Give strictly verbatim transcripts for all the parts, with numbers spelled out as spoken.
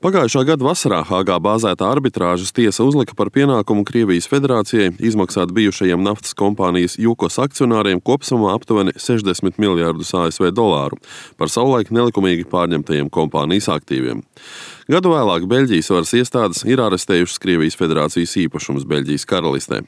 Pagājušā gada vasarā Hāgā bāzētā arbitrāžas tiesa uzlika par pienākumu Krievijas Federācijai izmaksāt bijušajiem naftas kompānijas Jukos akcionāriem kopsumā aptuveni sešdesmit miljardus A S V dolāru par savulaik nelikumīgi pārņemtajiem kompānijas aktīviem. Gadu vēlāk Beļģijas varas iestādes ir arestējušas Krievijas Federācijas īpašumus Beļģijas karalistē.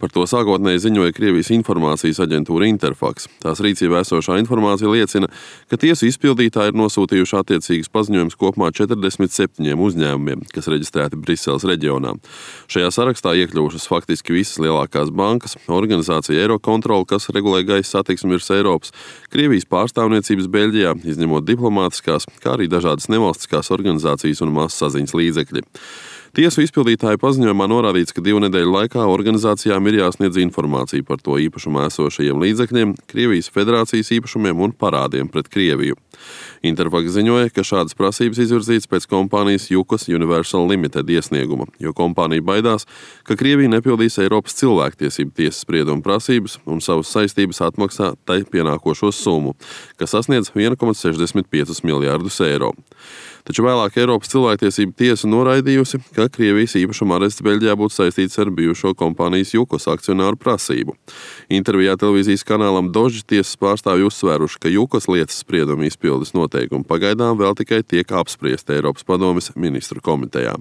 Par to sākotnēji ziņoja Krievijas informācijas aģentūra Interfax. Tās rīcībā esošā informācija liecina, ka tiesu izpildītāji ir nosūtījuši attiecīgas paziņojumus kopumā četrdesmit septiņiem uzņēmumiem, kas reģistrēti Briseles reģionā. Šajā sarakstā iekļuvušas faktiski visas lielākās bankas, organizācija Eirokontrola, kas regulē gaisa satiksmi virs Eiropas, Krievijas pārstāvniecības Beļģijā, izņemot diplomātiskās, kā arī dažādas nevalstiskās organizācijas un masasaziņas līdzekļi. Tiesu izpildītāju paziņojumā norādīts, ka divu nedēļu laikā organizācijām ir jāsniedz informācija par to īpašumā esošajiem līdzekļiem, Krievijas Federācijas īpašumiem un parādiem pret Krieviju. Interfax ziņoja, ka šādas prasības izvirzītas pēc kompānijas Jukos Universal Limited iesnieguma, jo kompānija baidās, ka Krievija nepildīs Eiropas cilvēktiesību tiesas sprieduma prasības un savas saistības atmaksā tai pienākošo summu, kas sasniedz viens komats sešdesmit piecus miljardus eiro. Taču vēlāk Eiropas cilvēktiesību tiesa noraidījusi, ka Krievijas īpašuma arests Beļģijā būtu saistīts ar bijušo kompānijas Jukos akcionāru prasību. Intervijā televīzijas kanālam Dožd tiesas pārstāvji uzsvēruši, ka Jukos lietas sprieduma izpildes noteikumi pagaidām vēl tikai tiek apspriesti Eiropas padomes ministru komitejā.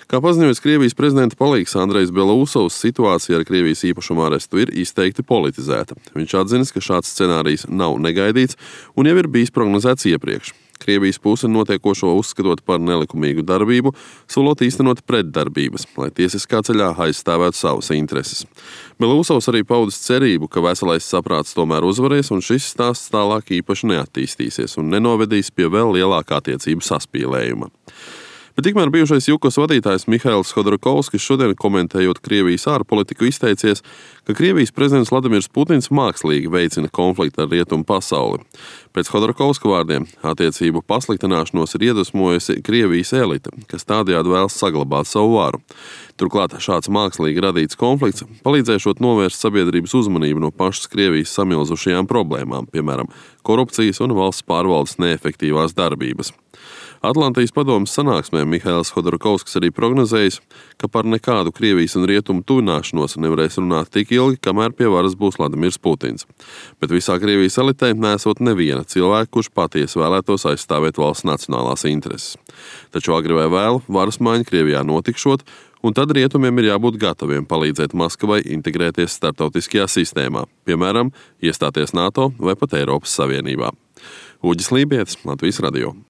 Kā paziņojas Krievijas prezidenta palīgs Andrejs Belousovs, situācija ar Krievijas īpašuma arestu ir izteikti politizēta. Viņš atzinis, ka šāds scenārijs nav negaidīts un jau ir bijis prognozēts iepriekš. Krievijas puse notiekošo uzskatot par nelikumīgu darbību, solot īstenot pretdarbības, lai tiesiskā ceļā aizstāvētu savas intereses. Belousovs arī paudis cerību, ka veselais saprāts tomēr uzvarēs un šis stāsts tālāk īpaši neattīstīsies un nenovedīs pie vēl lielākā attiecību saspīlējuma. Bet tikmēr bijušais Jukos vadītājs Mihails Hodorkovskis šodien komentējot Krievijas ārpolitiku izteicies, ka Krievijas prezidents Vladimirs Putins mākslīgi veicina konfliktu ar rietumu pasauli. Pēc Hodorkovska vārdiem attiecību pasliktināšanos ir iedvesmojusi Krievijas elite, kas tādējādi vēlas saglabāt savu varu. Turklāt šāds mākslīgi radīts konflikts palīdzēšot novērst sabiedrības uzmanību no pašas Krievijas samilzušajām problēmām, piemēram, korupcijas un valsts pārvaldes neefektīvās darbības. Atlantijas padomes sanāksmē Mihails Hodorkovskis arī prognozējis, ka par nekādu Krievijas un rietumu tuvināšanos nevarēs runāt tik ilgi, kamēr pie varas būs Vladimirs Putins. Bet visā Krievijas elitē nesot neviena cilvēka, kurš patiesi vēlētos aizstāvēt valsts nacionālās intereses. Taču agri vai vēlu varas maiņa Krievijā notikšot, un tad rietumiem ir jābūt gataviem palīdzēt Maskavai integrēties starptautiskajā sistēmā, piemēram, iestāties NATO vai pat Eiropas Savienībā. Uģis Lībietis, Latvijas radio.